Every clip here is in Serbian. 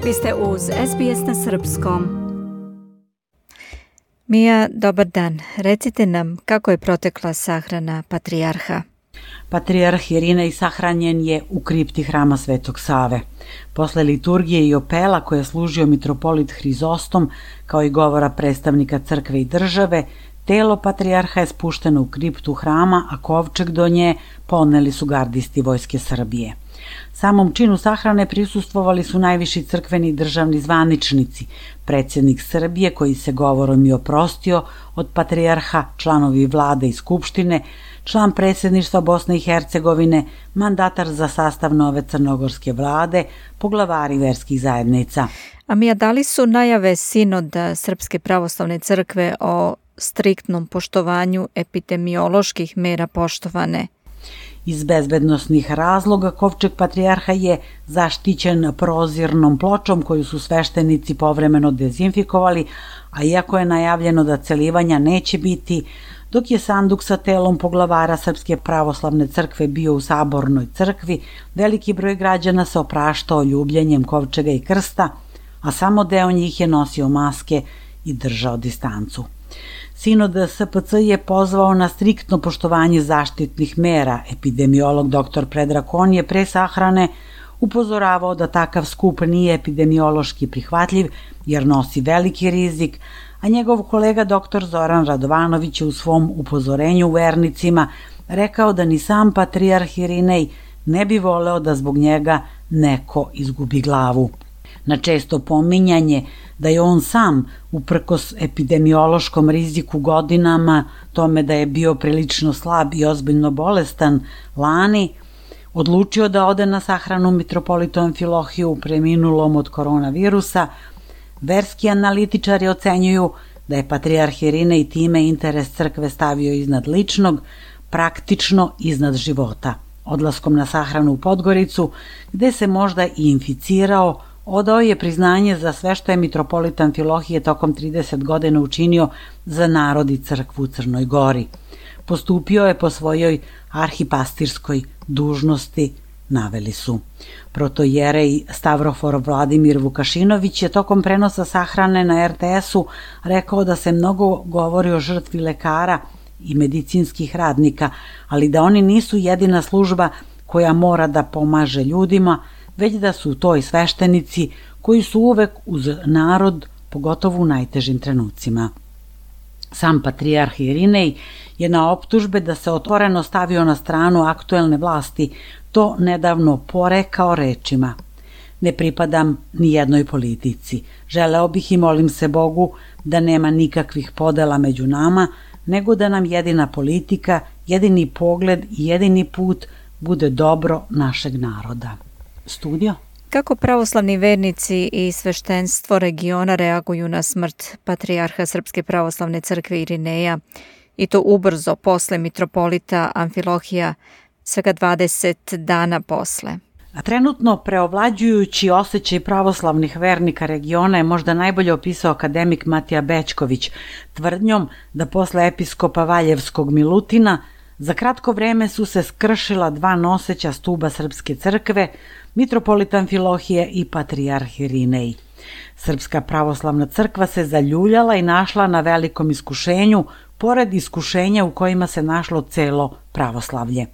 Vi ste uz SBS na Srpskom. Mija, dobar dan. Recite nam kako je protekla sahrana patrijarha. Patrijarh Irinej sahranjen je u kripti hrama Svetog Save. Posle liturgije i opela koje je služio mitropolit Hrizostom, kao i govora predstavnika crkve i države, telo patrijarha je spušteno u kriptu hrama, a kovčeg do nje poneli su gardisti Vojske Srbije. Samom činu sahrane prisustvovali su najviši crkveni i državni zvaničnici, predsjednik Srbije koji se govorom i oprostio od patrijarha, članovi vlade i skupštine, član predsjedništva Bosne i Hercegovine, mandatar za sastav nove crnogorske vlade, poglavari verskih zajednica. A Mija, da li su najave sinoda Srpske pravoslavne crkve o striktnom poštovanju epidemioloških mera poštovane? Iz bezbednosnih razloga kovčeg patrijarha je zaštićen prozirnom pločom koju su sveštenici povremeno dezinfikovali, a iako je najavljeno da celivanja neće biti, dok je sanduk sa telom poglavara Srpske pravoslavne crkve bio u Sabornoj crkvi, veliki broj građana se opraštao ljubljenjem kovčega i krsta, a samo deo njih je nosio maske i držao distancu. Sinod SPC je pozvao na striktno poštovanje zaštitnih mera. Epidemiolog dr. Predrag Kon je pre sahrane upozoravao da takav skup nije epidemiološki prihvatljiv jer nosi veliki rizik, a njegov kolega dr. Zoran Radovanović je u svom upozorenju vernicima rekao da ni sam patrijarh Irinej ne bi voleo da zbog njega neko izgubi glavu. Na često pominjanje da je on sam, uprkos epidemiološkom riziku godinama, tome da je bio prilično slab i ozbiljno bolestan lani, odlučio da ode na sahranu mitropolitu Amfilohiju preminulom od koronavirusa, verski analitičari ocenjuju da je patrijarh Irinej time interes crkve stavio iznad ličnog, praktično iznad života. Odlaskom na sahranu u Podgoricu, gde se možda i inficirao, odao je priznanje za sve što je mitropolit Amfilohije tokom 30 godina učinio za narod i crkvu u Crnoj Gori. Postupio je po svojoj arhipastirskoj dužnosti, naveli su. Protojerej Stavrofor Vladimir Vukašinović je tokom prenosa sahrane na RTS-u rekao da se mnogo govori o žrtvi lekara i medicinskih radnika, ali da oni nisu jedina služba koja mora da pomaže ljudima, već da su to i sveštenici koji su uvek uz narod, pogotovo u najtežim trenucima. Sam patrijarh Irinej je na optužbe da se otvoreno stavio na stranu aktuelne vlasti to nedavno porekao rečima: "Ne pripadam ni jednoj politici. Želeo bih i molim se Bogu da nema nikakvih podela među nama, nego da nam jedina politika, jedini pogled i jedini put bude dobro našeg naroda." Studio. Kako pravoslavni vernici i sveštenstvo regiona reaguju na smrt patrijarha Srpske pravoslavne crkve Irineja, i to ubrzo posle mitropolita Amfilohija, svega 20 dana posle? A trenutno preovlađujući osjećaj pravoslavnih vernika regiona je možda najbolje opisao akademik Matija Bećković tvrdnjom da posle episkopa Valjevskog Milutina za kratko vreme su se skršila dva noseća stuba Srpske crkve, mitropolit Amfilohije i patrijarh Irinej. Srpska pravoslavna crkva se zaljuljala i našla na velikom iskušenju, pored iskušenja u kojima se našlo celo pravoslavlje.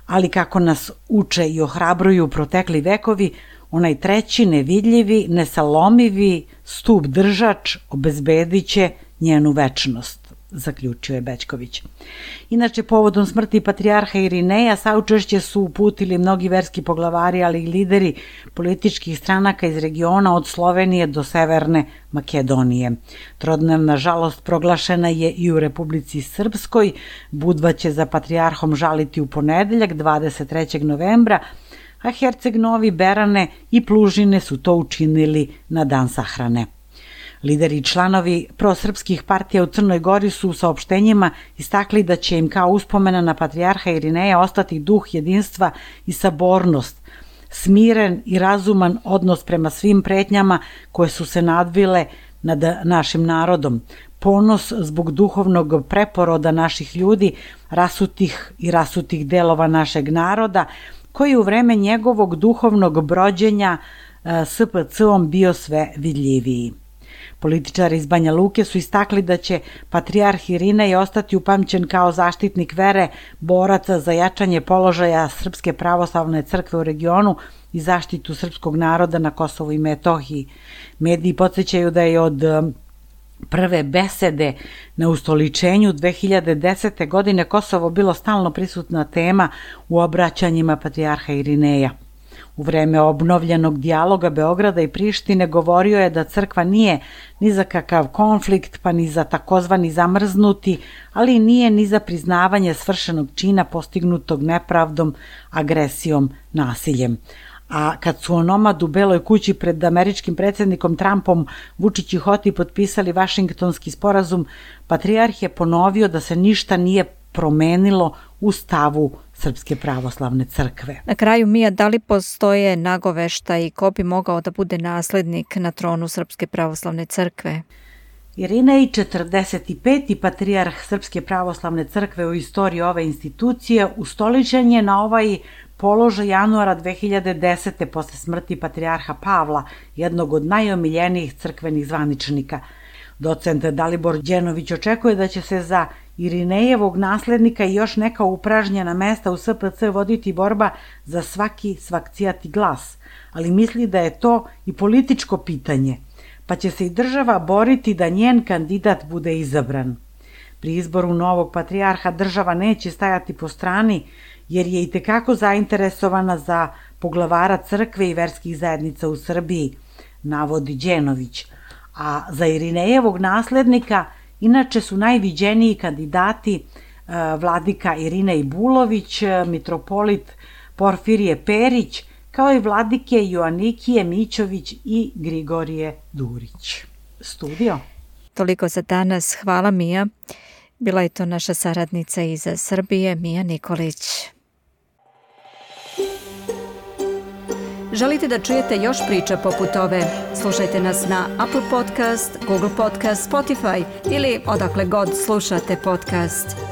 Ali kako nas uče i ohrabruju protekli vekovi, onaj treći, nevidljivi, nesalomivi stub držač obezbedit će njenu večnost, zaključio je Bećković. Inače, povodom smrti patrijarha Irineja saučešće su uputili mnogi verski poglavari, ali i lideri političkih stranaka iz regiona od Slovenije do Severne Makedonije. Trodnevna žalost proglašena je i u Republici Srpskoj. Budva će za patrijarhom žaliti u ponedeljak 23. novembra, a Herceg Novi, Berane i Plužine su to učinili na dan sahrane. Lideri i članovi prosrpskih partija u Crnoj Gori su u saopštenjima istakli da će im kao uspomena na patrijarha Irineja ostati duh jedinstva i sabornost, smiren i razuman odnos prema svim pretnjama koje su se nadvile nad našim narodom, ponos zbog duhovnog preporoda naših ljudi, rasutih delova našeg naroda, koji u vreme njegovog duhovnog brođenja SPC-om bio sve vidljiviji. Političari iz Banja Luke su istakli da će patrijarh Irinej ostati upamćen kao zaštitnik vere, boraca za jačanje položaja Srpske pravoslavne crkve u regionu i zaštitu srpskog naroda na Kosovu i Metohiji. Mediji podsjećaju da je od prve besede na ustoličenju 2010. godine Kosovo bilo stalno prisutna tema u obraćanjima patrijarha Irineja. U vreme obnovljenog dijaloga Beograda i Prištine govorio je da crkva nije ni za kakav konflikt, pa ni za takozvani zamrznuti, ali nije ni za priznavanje svršenog čina postignutog nepravdom, agresijom, nasiljem. A kad su onomad u Beloj kući pred američkim predsjednikom Trumpom Vučić i Hoti potpisali Vašingtonski sporazum, patrijarh je ponovio da se ništa nije promenilo u stavu Srpske pravoslavne crkve. Na kraju, Mija, da li postoje nagoveštaji ko bi mogao da bude naslednik na tronu Srpske pravoslavne crkve? Irinej, 45. patrijarh Srpske pravoslavne crkve u istoriji ove institucije, ustoličen je na ovaj položaj januara 2010. posle smrti patrijarha Pavla, jednog od najomiljenijih crkvenih zvaničnika. Docent Dalibor Đenović očekuje da će se za Irinejevog naslednika i još neka upražnjena mesta u SPC voditi borba za svaki svakcijati glas, ali misli da je to i političko pitanje, pa će se i država boriti da njen kandidat bude izabran. Pri izboru novog patrijarha država neće stajati po strani, jer je itekako zainteresovana za poglavara crkve i verskih zajednica u Srbiji, navodi Đenović. A za Irinejevog naslednika inače su najviđeniji kandidati vladika Irinej Bulović, mitropolit Porfirije Perić, kao i vladike Joanikije Mićović i Grigorije Durić. Studio. Toliko za danas. Hvala, Mija. Bila je to naša saradnica iz Srbije, Mija Nikolić. Želite da čujete još priča poput ove? Slušajte nas na Apple Podcast, Google Podcast, Spotify ili odakle god slušate podcast.